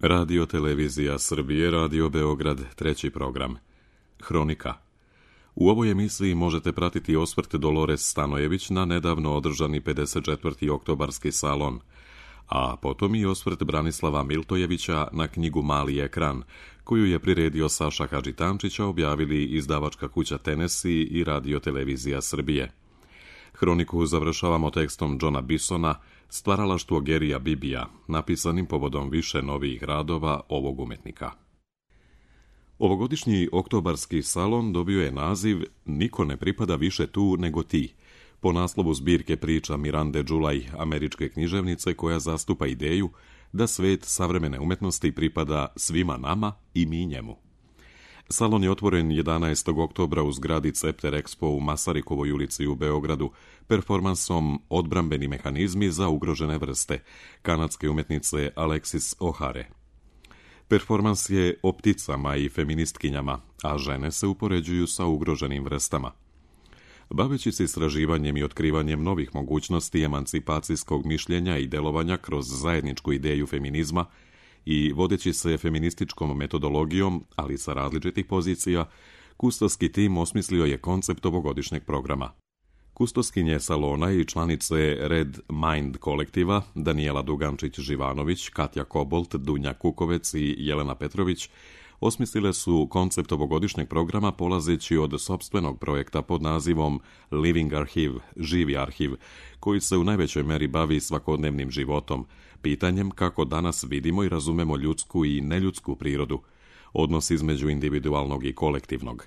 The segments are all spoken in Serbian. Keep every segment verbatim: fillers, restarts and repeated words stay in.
Radio Televizija Srbije, Radio Beograd, treći program. Hronika. U ovoj emisiji možete pratiti osvrt Dolores Stanojević na nedavno održani pedeset četvrti oktobarski salon, a potom i osvrt Branislava Miltojevića na knjigu Mali ekran, koju je priredio Saša Hadžitančića, objavili izdavačka kuća Tennessee i Radio Televizija Srbije. Hroniku završavamo tekstom Johna Bisona, Stvaralaštvo Gerija Bibija, napisanim povodom više novijih radova ovog umetnika. Ovogodišnji oktobarski salon dobio je naziv Niko ne pripada više tu nego ti, po naslovu zbirke priča Mirande Džulaj, američke književnice koja zastupa ideju da svet savremene umetnosti pripada svima nama i mi njemu. Salon je otvoren jedanaestog oktobra u zgradi Cepter Expo u Masarikovoj ulici u Beogradu performansom Odbrambeni mehanizmi za ugrožene vrste kanadske umetnice Alexis O'Hare. Performans je o pticama i feministkinjama, a žene se upoređuju sa ugroženim vrstama. Baveći se istraživanjem i otkrivanjem novih mogućnosti emancipacijskog mišljenja i delovanja kroz zajedničku ideju feminizma i vodeći se feminističkom metodologijom, ali sa različitih pozicija, kustovski tim osmislio je koncept ovogodišnjeg programa. Kustoskinje salona i članice Red Mind kolektiva, Danijela Dugančić-Živanović, Katja Kobolt, Dunja Kukovec i Jelena Petrović, osmislile su koncept ovogodišnjeg programa polazeći od sopstvenog projekta pod nazivom Living Archive, živi arhiv, koji se u najvećoj meri bavi svakodnevnim životom, pitanjem kako danas vidimo i razumemo ljudsku i neljudsku prirodu, odnos između individualnog i kolektivnog.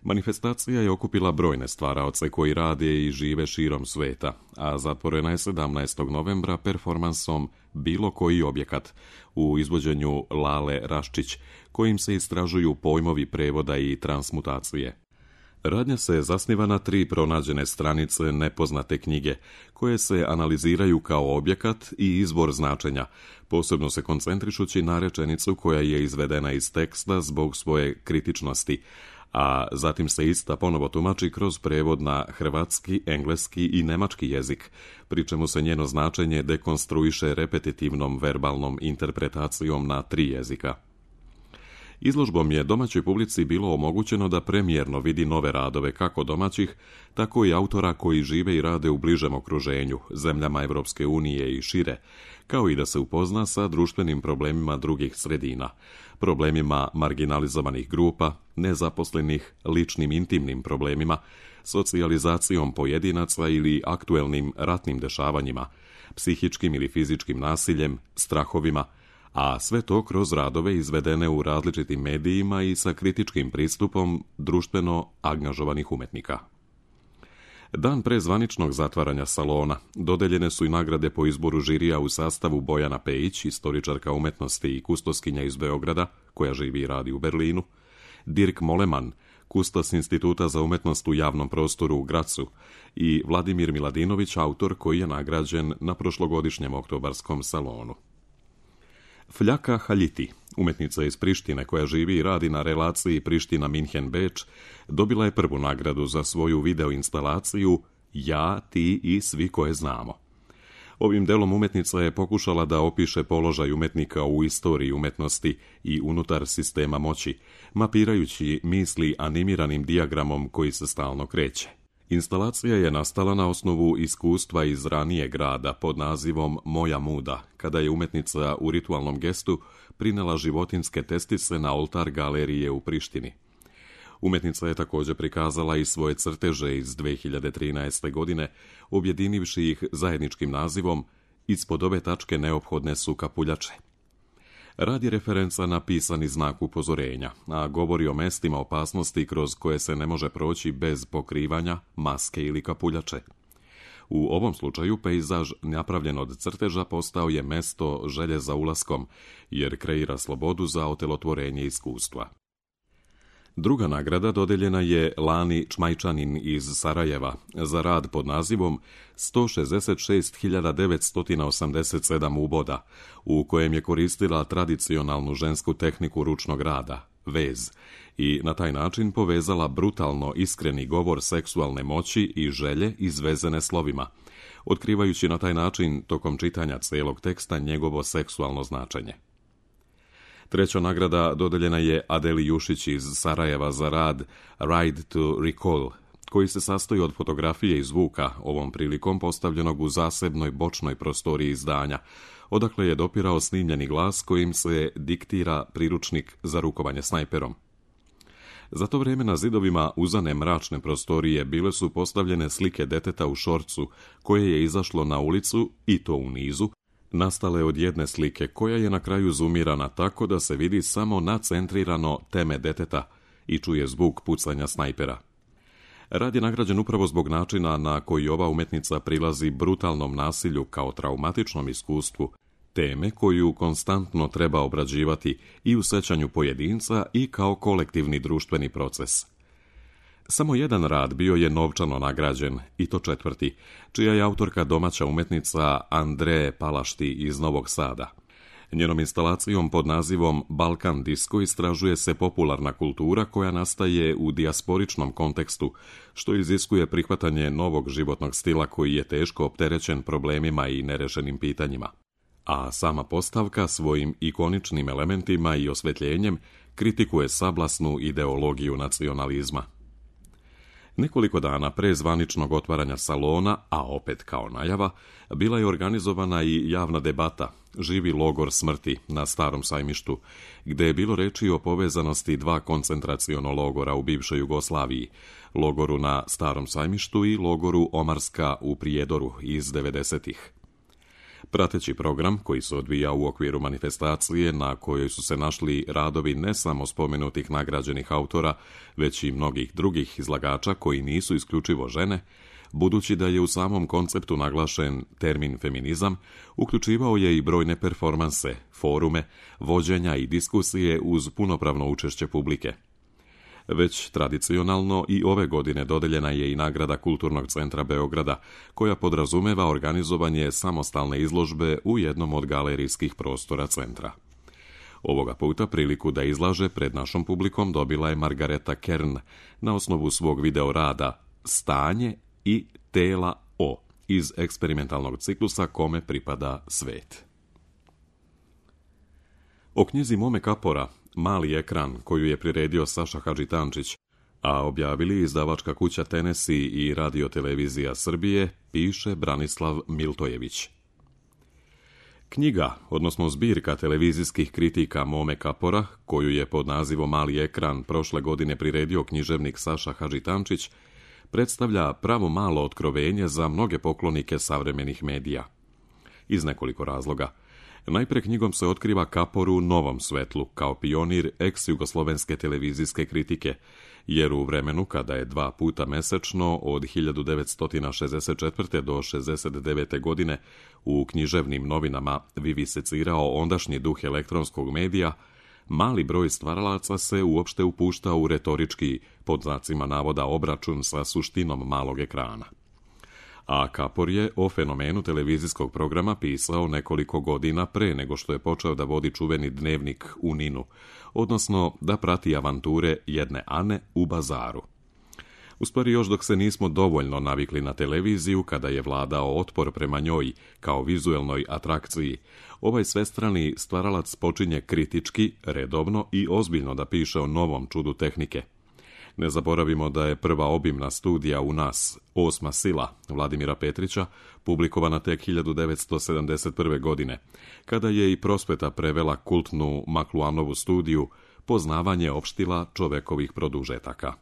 Manifestacija je okupila brojne stvaraoce koji rade i žive širom sveta, a zatvorena je sedamnaestog novembra performansom Bilo koji objekat u izvođenju Lale Raščić, kojim se istražuju pojmovi prevoda i transmutacije. Radnja se zasniva na tri pronađene stranice nepoznate knjige, koje se analiziraju kao objekat i izvor značenja, posebno se koncentrišući na rečenicu koja je izvedena iz teksta zbog svoje kritičnosti, a zatim se ista ponovo tumači kroz prevod na hrvatski, engleski i nemački jezik, pri čemu se njeno značenje dekonstruiše repetitivnom verbalnom interpretacijom na tri jezika. Izložbom je domaćoj publici bilo omogućeno da premijerno vidi nove radove kako domaćih, tako i autora koji žive i rade u bližem okruženju, zemljama Evropske unije i šire, kao i da se upozna sa društvenim problemima drugih sredina, problemima marginalizovanih grupa, nezaposlenih, ličnim intimnim problemima, socijalizacijom pojedinaca ili aktuelnim ratnim dešavanjima, psihičkim ili fizičkim nasiljem, strahovima, a sve to kroz radove izvedene u različitim medijima i sa kritičkim pristupom društveno angažovanih umetnika. Dan pre zvaničnog zatvaranja salona dodeljene su i nagrade po izboru žirija u sastavu Bojana Pejić, istoričarka umetnosti i kustoskinja iz Beograda, koja živi i radi u Berlinu, Dirk Moleman, kustos Instituta za umetnost u javnom prostoru u Gracu i Vladimir Miladinović, autor koji je nagrađen na prošlogodišnjem oktobarskom salonu. Fljaka Haljiti, umetnica iz Prištine koja živi i radi na relaciji Priština-Minhen-Beč, dobila je prvu nagradu za svoju videoinstalaciju Ja, ti i svi koje znamo. Ovim delom umetnica je pokušala da opiše položaj umetnika u istoriji umetnosti i unutar sistema moći, mapirajući misli animiranim dijagramom koji se stalno kreće. Instalacija je nastala na osnovu iskustva iz ranijeg rada pod nazivom Moja muda, kada je umetnica u ritualnom gestu prinela životinjske testice na oltar galerije u Prištini. Umetnica je također prikazala i svoje crteže iz dve hiljade trinaeste. godine, objedinivši ih zajedničkim nazivom Ispod ove tačke neophodne su kapuljače. Rad je referenca na pisani znak upozorenja, a govori o mestima opasnosti kroz koje se ne može proći bez pokrivanja, maske ili kapuljače. U ovom slučaju pejzaž napravljen od crteža postao je mesto želje za ulaskom, jer kreira slobodu za otelotvorenje iskustva. Druga nagrada dodeljena je Lani Čmajčanin iz Sarajeva za rad pod nazivom sto šezdeset šest hiljada devetsto osamdeset sedam uboda, u kojem je koristila tradicionalnu žensku tehniku ručnog rada, vez, i na taj način povezala brutalno iskreni govor seksualne moći i želje izvezene slovima, otkrivajući na taj način tokom čitanja celog teksta njegovo seksualno značenje. Treća nagrada dodeljena je Adeli Jušić iz Sarajeva za rad Ride to Recall, koji se sastoji od fotografije i zvuka, ovom prilikom postavljenog u zasebnoj bočnoj prostoriji izdanja, odakle je dopirao snimljeni glas kojim se diktira priručnik za rukovanje snajperom. Za to vrijeme na zidovima uzane mračne prostorije bile su postavljene slike deteta u šorcu koje je izašlo na ulicu, i to u nizu, nastale od jedne slike koja je na kraju zumirana tako da se vidi samo nacentrirano teme deteta i čuje zvuk pucanja snajpera. Rad je nagrađen upravo zbog načina na koji ova umetnica prilazi brutalnom nasilju kao traumatičnom iskustvu, teme koju konstantno treba obrađivati i u sećanju pojedinca i kao kolektivni društveni proces. Samo jedan rad bio je novčano nagrađen, i to četvrti, čija je autorka domaća umetnica Andreje Palašti iz Novog Sada. Njenom instalacijom pod nazivom Balkan Disco istražuje se popularna kultura koja nastaje u dijasporičnom kontekstu, što iziskuje prihvatanje novog životnog stila koji je teško opterećen problemima i nerešenim pitanjima. A sama postavka svojim ikoničnim elementima i osvetljenjem kritikuje sablasnu ideologiju nacionalizma. Nekoliko dana pre zvaničnog otvaranja salona, a opet kao najava, bila je organizovana i javna debata, Živi logor smrti na Starom Sajmištu, gde je bilo reči o povezanosti dva koncentraciono logora u bivšoj Jugoslaviji, logoru na Starom Sajmištu i logoru Omarska u Prijedoru iz devedesetih. Prateći program, koji se odvija u okviru manifestacije na kojoj su se našli radovi ne samo spomenutih nagrađenih autora, već i mnogih drugih izlagača koji nisu isključivo žene, budući da je u samom konceptu naglašen termin feminizam, uključivao je i brojne performanse, forume, vođenja i diskusije uz punopravno učešće publike. Već tradicionalno i ove godine dodeljena je i nagrada Kulturnog centra Beograda, koja podrazumeva organizovanje samostalne izložbe u jednom od galerijskih prostora centra. Ovoga puta priliku da izlaže pred našom publikom dobila je Margareta Kern na osnovu svog video rada Stanje i tela O iz eksperimentalnog ciklusa kome pripada svet. O knjizi Mome Kapora, Mali ekran, koju je priredio Saša Hadžitančić, a objavili izdavačka kuća Tennessee i Radio-televizija Srbije, piše Branislav Miltojević. Knjiga, odnosno zbirka televizijskih kritika Mome Kapora, koju je pod nazivom Mali ekran prošle godine priredio književnik Saša Hadžitančić, predstavlja pravo malo otkrovenje za mnoge poklonike savremenih medija. Iz nekoliko razloga. Najpre knjigom se otkriva Kapor u novom svetlu, kao pionir ex-jugoslovenske televizijske kritike, jer u vremenu kada je dva puta mesečno od hiljadu devetsto šezdeset četvrte do šezdeset devete godine u književnim novinama vivisecirao ondašnji duh elektronskog medija, mali broj stvaralaca se uopšte upušta u retorički, pod znacima navoda, obračun sa suštinom malog ekrana. A Kapor je o fenomenu televizijskog programa pisao nekoliko godina pre nego što je počeo da vodi čuveni dnevnik u Ninu, odnosno da prati avanture jedne Ane u bazaru. U stvari još dok se nismo dovoljno navikli na televiziju, kada je vladao otpor prema njoj kao vizuelnoj atrakciji, ovaj svestrani stvaralac počinje kritički, redovno i ozbiljno da piše o novom čudu tehnike. Ne zaboravimo da je prva obimna studija u nas, Osma sila, Vladimira Petrića, publikovana tek hiljadu devetsto sedamdeset prve. godine, kada je i Prosveta prevela kultnu Makluanovu studiju Poznavanje opštila čovekovih produžetaka.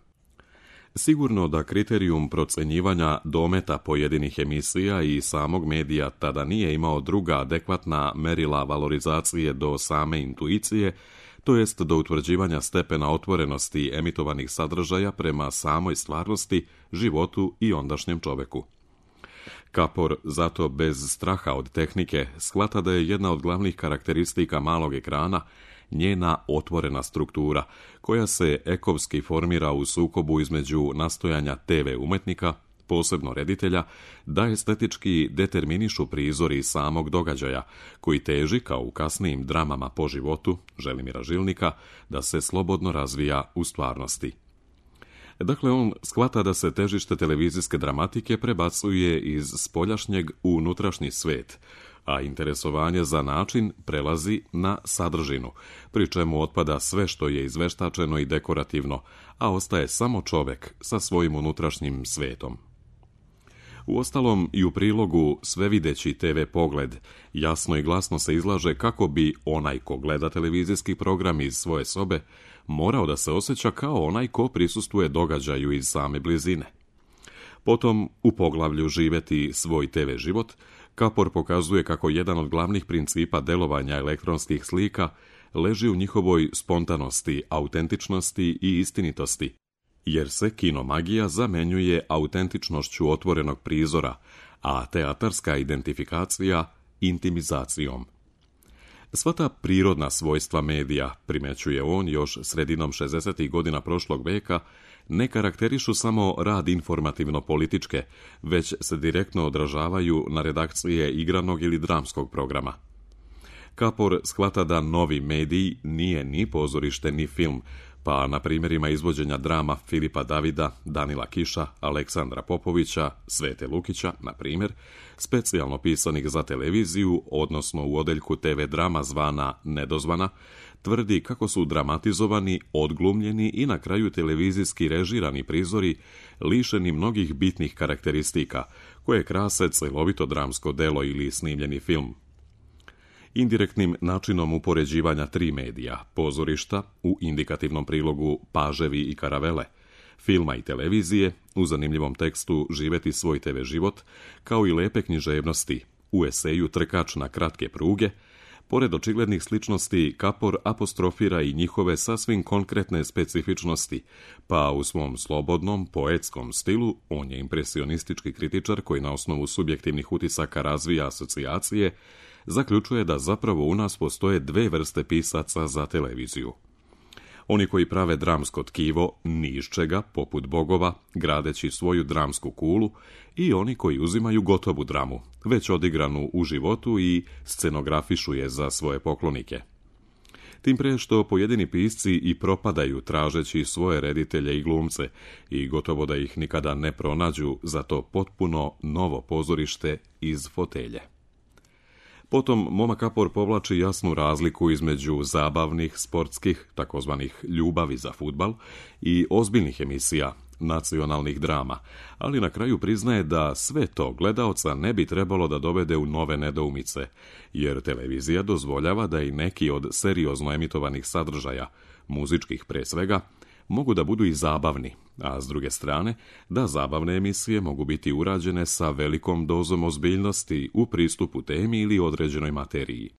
Sigurno da kriterijum procenjivanja dometa pojedinih emisija i samog medija tada nije imao druga adekvatna merila valorizacije do same intuicije, to jest do utvrđivanja stepena otvorenosti emitovanih sadržaja prema samoj stvarnosti, životu i ondašnjem čoveku. Kapor, zato bez straha od tehnike, shvata da je jedna od glavnih karakteristika malog ekrana njena otvorena struktura, koja se ekovski formira u sukobu između nastojanja te ve umetnika, posebno reditelja, da estetički determinišu prizori samog događaja, koji teži, kao u kasnijim dramama po životu Želimira Žilnika, da se slobodno razvija u stvarnosti. Dakle, on shvata da se težište televizijske dramatike prebacuje iz spoljašnjeg u unutrašnji svet, a interesovanje za način prelazi na sadržinu, pri čemu otpada sve što je izveštačeno i dekorativno, a ostaje samo čovek sa svojim unutrašnjim svetom. Uostalom, i u prilogu Svevideći te ve pogled jasno i glasno se izlaže kako bi onaj ko gleda televizijski program iz svoje sobe morao da se osjeća kao onaj ko prisustvuje događaju iz same blizine. Potom, u poglavlju Živeti svoj te ve život, Kapor pokazuje kako jedan od glavnih principa delovanja elektronskih slika leži u njihovoj spontanosti, autentičnosti i istinitosti, jer se kinomagija zamenjuje autentičnošću otvorenog prizora, a teatarska identifikacija intimizacijom. Sva ta prirodna svojstva medija, primećuje on još sredinom šezdesetih godina prošlog veka, ne karakterišu samo rad informativno-političke, već se direktno odražavaju na redakcije igranog ili dramskog programa. Kapor shvata da novi medij nije ni pozorište ni film, pa na primjerima izvođenja drama Filipa Davida, Danila Kiša, Aleksandra Popovića, Svete Lukića, na primjer, specijalno pisanih za televiziju, odnosno u odeljku te ve drama zvana Nedozvana, tvrdi kako su dramatizovani, odglumljeni i na kraju televizijski režirani prizori lišeni mnogih bitnih karakteristika, koje krase celovito dramsko delo ili snimljeni film. Indirektnim načinom upoređivanja tri medija, pozorišta, u indikativnom prilogu Paževi i karavele, filma i televizije, u zanimljivom tekstu Živeti svoj te ve život, kao i lepe književnosti, u eseju Trkač na kratke pruge, pored očiglednih sličnosti, Kapor apostrofira i njihove sasvim konkretne specifičnosti, pa u svom slobodnom, poetskom stilu, on je impresionistički kritičar koji na osnovu subjektivnih utisaka razvija asocijacije, zaključuje da zapravo u nas postoje dve vrste pisaca za televiziju. Oni koji prave dramsko tkivo ni iz čega, poput bogova, gradeći svoju dramsku kulu, i oni koji uzimaju gotovu dramu, već odigranu u životu i scenografišu je za svoje poklonike. Tim pre što pojedini pisci i propadaju tražeći svoje reditelje i glumce i gotovo da ih nikada ne pronađu za to potpuno novo pozorište iz fotelje. Potom Moma Kapor povlači jasnu razliku između zabavnih, sportskih, takozvanih ljubavi za fudbal, i ozbiljnih emisija, nacionalnih drama, ali na kraju priznaje da sve to gledaoca ne bi trebalo da dovede u nove nedoumice, jer televizija dozvoljava da i neki od seriozno emitovanih sadržaja, muzičkih pre svega, mogu da budu i zabavni, a s druge strane, da zabavne emisije mogu biti urađene sa velikom dozom ozbiljnosti u pristupu temi ili određenoj materiji.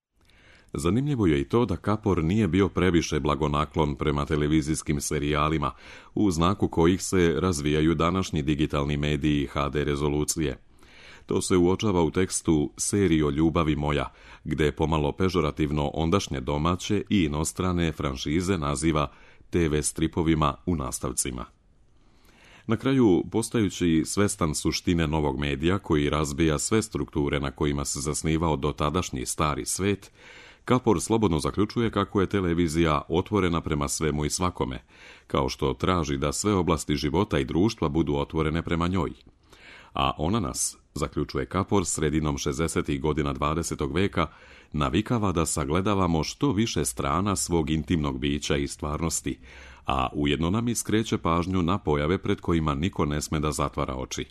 Zanimljivo je i to da Kapor nije bio previše blagonaklon prema televizijskim serijalima, u znaku kojih se razvijaju današnji digitalni mediji ha de rezolucije. To se uočava u tekstu Serijo ljubavi moja, gde pomalo pežorativno ondašnje domaće i inostrane franšize naziva te ve stripovima u nastavcima. Na kraju, postajući svestan suštine novog medija koji razbija sve strukture na kojima se zasnivao dotadašnji stari svet, Kapor slobodno zaključuje kako je televizija otvorena prema svemu i svakome, kao što traži da sve oblasti života i društva budu otvorene prema njoj. A ona nas, zaključuje Kapor sredinom šezdesetih godina dvadesetog veka, navikava da sagledavamo što više strana svog intimnog bića i stvarnosti, a ujedno nam iskreće pažnju na pojave pred kojima niko ne sme da zatvara oči.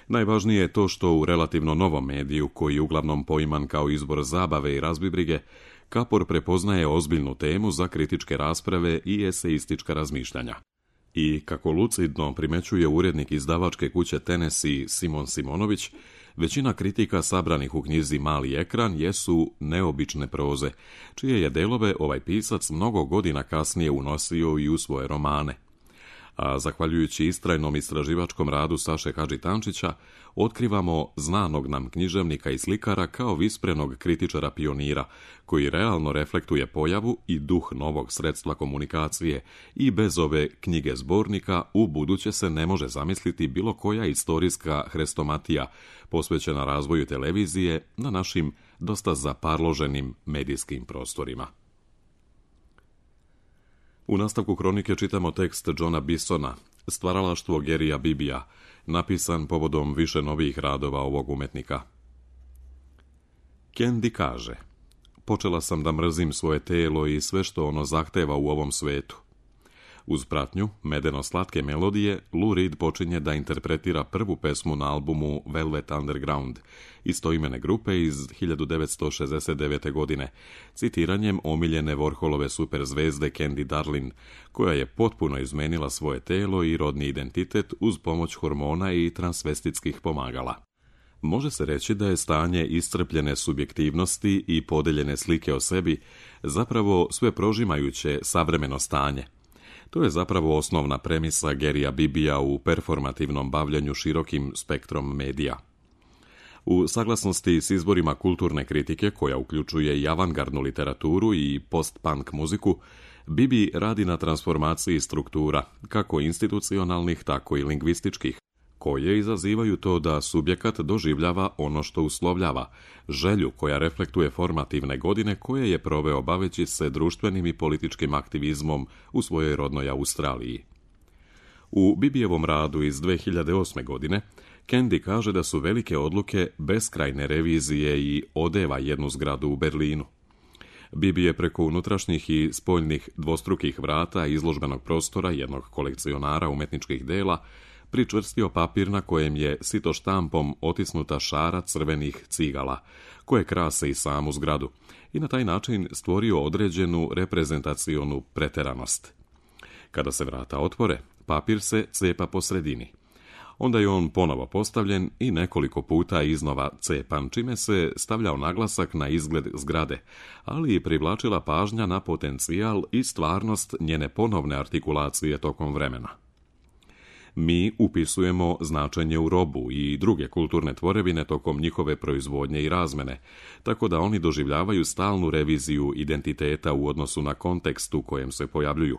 Najvažnije je to što u relativno novom mediju, koji je uglavnom poiman kao izbor zabave i razbibrige, Kapor prepoznaje ozbiljnu temu za kritičke rasprave i eseistička razmišljanja. I, kako lucidno primećuje urednik izdavačke kuće Tennessee Simon Simonović, većina kritika sabranih u knjizi Mali ekran jesu neobične proze, čije je delove ovaj pisac mnogo godina kasnije unosio i u svoje romane. A zahvaljujući istrajnom istraživačkom radu Saše Hadžitančića, otkrivamo znanog nam književnika i slikara kao visprenog kritičara pionira, koji realno reflektuje pojavu i duh novog sredstva komunikacije i bez ove knjige zbornika u buduće se ne može zamisliti bilo koja istorijska hrestomatija posvećena razvoju televizije na našim dosta zaparloženim medijskim prostorima. U nastavku kronike čitamo tekst Johna Bissona, Stvaralaštvo Gerija Bibija, napisan povodom više novih radova ovog umetnika. Candy kaže: počela sam da mrzim svoje telo i sve što ono zahteva u ovom svetu. Uz pratnju medeno-slatke melodije, Lou Reed počinje da interpretira prvu pesmu na albumu Velvet Underground, istoimene grupe iz hiljadu devetsto šezdeset devete. godine, citiranjem omiljene Warholove superzvezde Candy Darlin, koja je potpuno izmenila svoje telo i rodni identitet uz pomoć hormona i transvestitskih pomagala. Može se reći da je stanje iscrpljene subjektivnosti i podeljene slike o sebi zapravo sve prožimajuće savremeno stanje. To je zapravo osnovna premisa Garyja Bibija u performativnom bavljanju širokim spektrom medija. U saglasnosti s izborima kulturne kritike, koja uključuje i avangardnu literaturu i post-punk muziku, Bibi radi na transformaciji struktura, kako institucionalnih, tako i lingvističkih, koje izazivaju to da subjekat doživljava ono što uslovljava, želju koja reflektuje formativne godine koje je proveo baveći se društvenim i političkim aktivizmom u svojoj rodnoj Australiji. U Bibijevom radu iz dve hiljade osme. godine Candy kaže da su velike odluke beskrajne revizije i odeva jednu zgradu u Berlinu. Bibi je preko unutrašnjih i spoljnih dvostrukih vrata izložbenog prostora jednog kolekcionara umetničkih dela pričvrstio papir na kojem je sito štampom otisnuta šara crvenih cigala, koje krase i samu zgradu, i na taj način stvorio određenu reprezentacionu preteranost. Kada se vrata otvore, papir se cepa po sredini. Onda je on ponovo postavljen i nekoliko puta iznova cepan, čime se stavljao naglasak na izgled zgrade, ali i privlačila pažnja na potencijal i stvarnost njene ponovne artikulacije tokom vremena. Mi upisujemo značenje u robu i druge kulturne tvorevine tokom njihove proizvodnje i razmene, tako da oni doživljavaju stalnu reviziju identiteta u odnosu na kontekst u kojem se pojavljuju.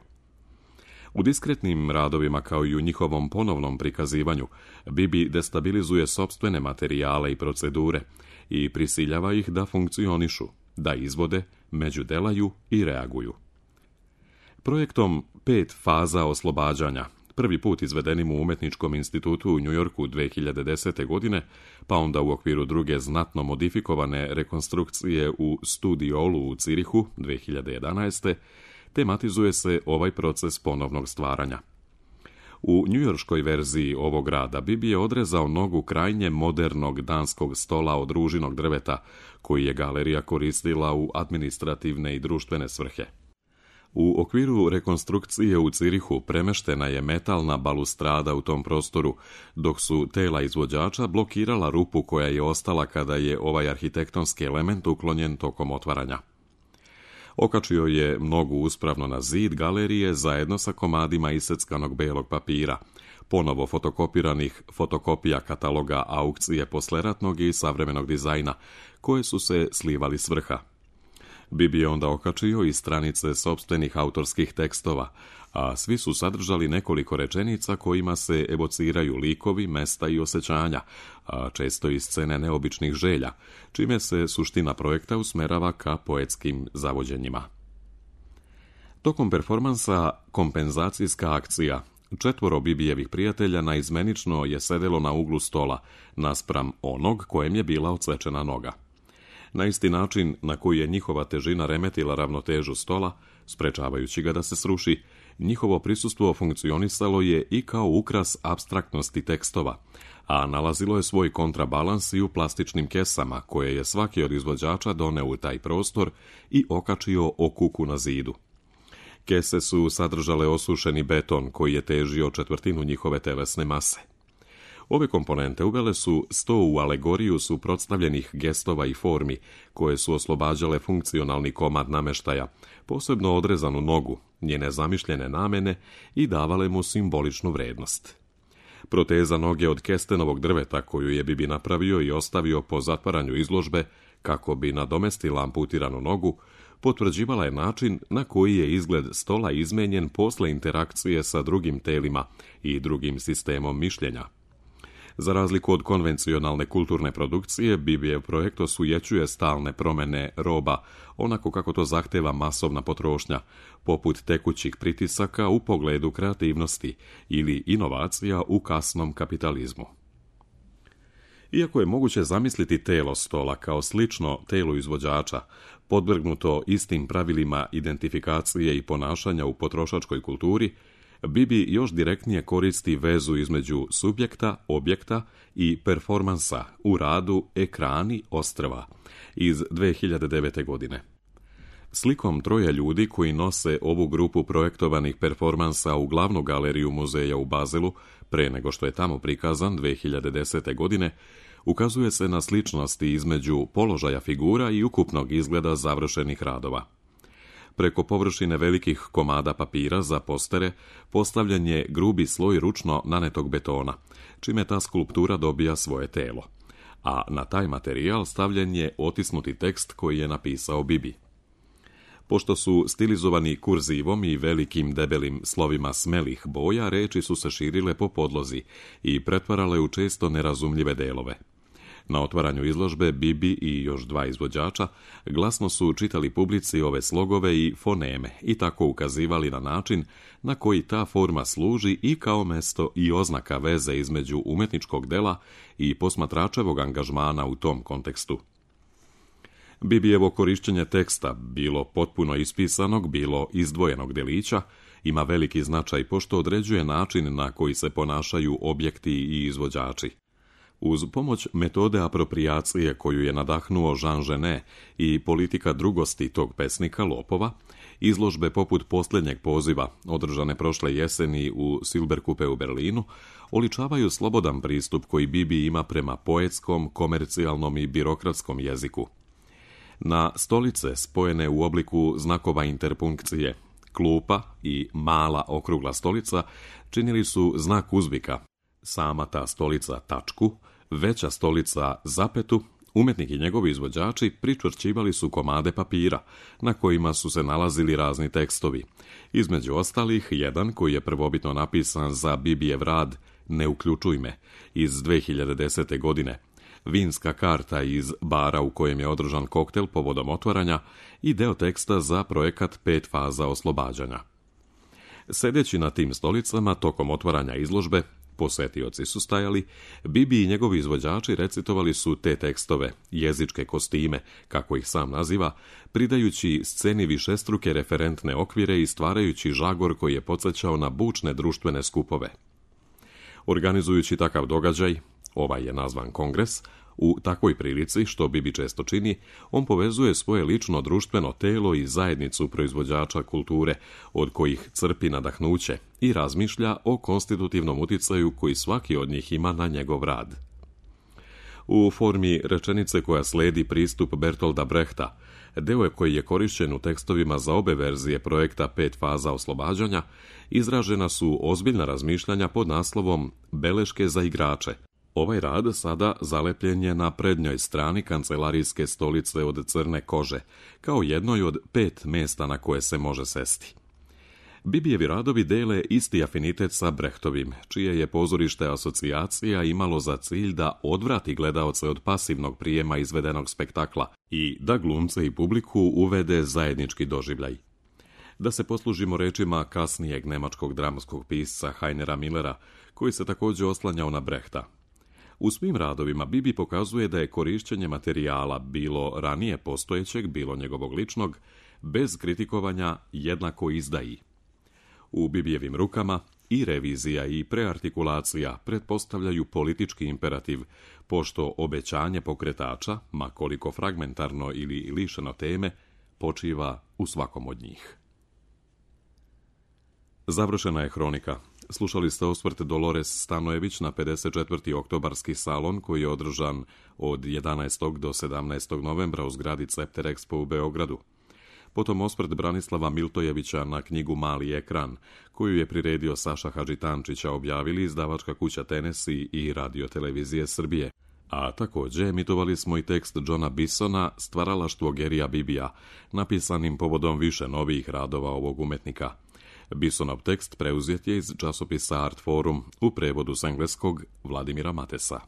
U diskretnim radovima, kao i u njihovom ponovnom prikazivanju, Bibi destabilizuje sopstvene materijale i procedure i prisiljava ih da funkcionišu, da izvode, međudelaju i reaguju. Projektom Pet faza oslobađanja, prvi put izvedenim u Umetničkom institutu u Njujorku dve hiljade desete. godine, pa onda u okviru druge znatno modifikovane rekonstrukcije u Studiolu u Cirihu dve hiljade jedanaeste. tematizuje se ovaj proces ponovnog stvaranja. U njujorškoj verziji ovog rada Bibi je odrezao nogu krajnje modernog danskog stola od ružinog drveta, koji je galerija koristila u administrativne i društvene svrhe. U okviru rekonstrukcije u Cirihu premeštena je metalna balustrada u tom prostoru, dok su tela izvođača blokirala rupu koja je ostala kada je ovaj arhitektonski element uklonjen tokom otvaranja. Okačio je nogu uspravno na zid galerije zajedno sa komadima iseckanog belog papira, ponovo fotokopiranih fotokopija kataloga aukcije posleratnog i savremenog dizajna, koje su se slivali s vrha. Bibi je onda okačio i stranice sopstvenih autorskih tekstova, a svi su sadržali nekoliko rečenica kojima se evociraju likovi, mesta i osjećanja, a često i scene neobičnih želja, čime se suština projekta usmerava ka poetskim zavođenjima. Tokom performansa Kompenzacijska akcija, četvoro Bibijevih prijatelja naizmenično je sedelo na uglu stola, naspram onog kojem je bila odsečena noga. Na isti način na koji je njihova težina remetila ravnotežu stola, sprečavajući ga da se sruši, njihovo prisustvo funkcionisalo je i kao ukras apstraktnosti tekstova, a nalazilo je svoj kontrabalans i u plastičnim kesama, koje je svaki od izvođača doneo u taj prostor i okačio o kuku na zidu. Kese su sadržale osušeni beton koji je težio četvrtinu njihove telesne mase. Ove komponente uvele su sto u alegoriju suprotstavljenih gestova i formi, koje su oslobađale funkcionalni komad nameštaja, posebno odrezanu nogu, njene zamišljene namene i davale mu simboličnu vrednost. Proteza noge od kestenovog drveta koju je Bibi napravio i ostavio po zatvaranju izložbe, kako bi nadomestila amputiranu nogu, potvrđivala je način na koji je izgled stola izmenjen posle interakcije sa drugim telima i drugim sistemom mišljenja. Za razliku od konvencionalne kulturne produkcije, Bibijev projekt osujećuje stalne promene roba, onako kako to zahteva masovna potrošnja, poput tekućih pritisaka u pogledu kreativnosti ili inovacija u kasnom kapitalizmu. Iako je moguće zamisliti telo stola kao slično telu izvođača, podvrgnuto istim pravilima identifikacije i ponašanja u potrošačkoj kulturi, Bibi još direktnije koristi vezu između subjekta, objekta i performansa u radu Ekrani ostrva iz dve hiljade devete. godine. Slikom troje ljudi koji nose ovu grupu projektovanih performansa u glavnu galeriju muzeja u Bazelu, pre nego što je tamo prikazan dve hiljade desete. godine, ukazuje se na sličnosti između položaja figura i ukupnog izgleda završenih radova. Preko površine velikih komada papira za postere postavljen je grubi sloj ručno nanetog betona, čime ta skulptura dobija svoje telo. A na taj materijal stavljen je otisnuti tekst koji je napisao Bibi. Pošto su stilizovani kurzivom i velikim debelim slovima smelih boja, reči su se širile po podlozi i pretvarale u često nerazumljive delove. Na otvaranju izložbe Bibi i još dva izvođača glasno su čitali publici ove slogove i foneme i tako ukazivali na način na koji ta forma služi i kao mesto i oznaka veze između umetničkog dela i posmatračevog angažmana u tom kontekstu. Bibijevo korišćenje teksta, bilo potpuno ispisanog, bilo izdvojenog delića, ima veliki značaj pošto određuje način na koji se ponašaju objekti i izvođači. Uz pomoć metode aproprijacije koju je nadahnuo Jean Genet i politika drugosti tog pesnika Lopova, izložbe poput posljednjeg poziva, održane prošle jeseni u Silberkupe u Berlinu, oličavaju slobodan pristup koji Bibi ima prema poetskom, komercijalnom i birokratskom jeziku. Na stolice spojene u obliku znakova interpunkcije, klupa i mala okrugla stolica činili su znak uzvika, sama ta stolica tačku, veća stolica zapetu, umetnik i njegovi izvođači pričvršćivali su komade papira, na kojima su se nalazili razni tekstovi. Između ostalih, jedan koji je prvobitno napisan za Bibijev rad Ne uključuj me, iz dve hiljade desete. godine, vinska karta iz bara u kojem je održan koktel povodom otvaranja i deo teksta za projekat Pet faza oslobađanja. Sedeći na tim stolicama tokom otvaranja izložbe, posetioci su stajali, Bibi i njegovi izvođači recitovali su te tekstove, jezičke kostime, kako ih sam naziva, pridajući sceni višestruke referentne okvire i stvarajući žagor koji je podsjećao na bučne društvene skupove. Organizujući takav događaj, ovaj je nazvan kongres, u takvoj prilici, što Bibi često čini, on povezuje svoje lično društveno telo i zajednicu proizvođača kulture, od kojih crpi nadahnuće i razmišlja o konstitutivnom uticaju koji svaki od njih ima na njegov rad. U formi rečenice koja sledi pristup Bertolda Brehta, deo koji je korišćen u tekstovima za obe verzije projekta Pet faza oslobađanja, izražena su ozbiljna razmišljanja pod naslovom Beleške za igrače. Ovaj rad sada zalepljen je na prednjoj strani kancelarijske stolice od crne kože, kao jednoj od pet mesta na koje se može sesti. Bibijevi radovi dele isti afinitet sa Brehtovim, čije je pozorište asocijacija imalo za cilj da odvrati gledaoce od pasivnog prijema izvedenog spektakla i da glumce i publiku uvede zajednički doživljaj. Da se poslužimo rečima kasnijeg nemačkog dramskog pisca Heinera Millera, koji se također oslanjao na Brehta. U svim radovima Bibi pokazuje da je korišćenje materijala, bilo ranije postojećeg, bilo njegovog ličnog, bez kritikovanja jednako izdaji. U Bibijevim rukama i revizija i preartikulacija pretpostavljaju politički imperativ, pošto obećanje pokretača, ma koliko fragmentarno ili lišeno teme, počiva u svakom od njih. Završena je hronika. Slušali ste osvrt Dolores Stanojević na pedeset četvrti oktobarski salon koji je održan od jedanaestog do sedamnaestog novembra u zgradi Cepter Expo u Beogradu. Potom osvrt Branislava Miltojevića na knjigu Mali ekran, koju je priredio Saša Hadžitančića, objavili izdavačka kuća Tenesi i Radio televizije Srbije. A također emitovali smo i tekst Johna Bisona Stvaralaštvo Gerija Bibija, napisanim povodom više novih radova ovog umetnika. Bisonov tekst preuzet je iz časopisa Art Forum u prevodu s engleskog Vladimira Matesa.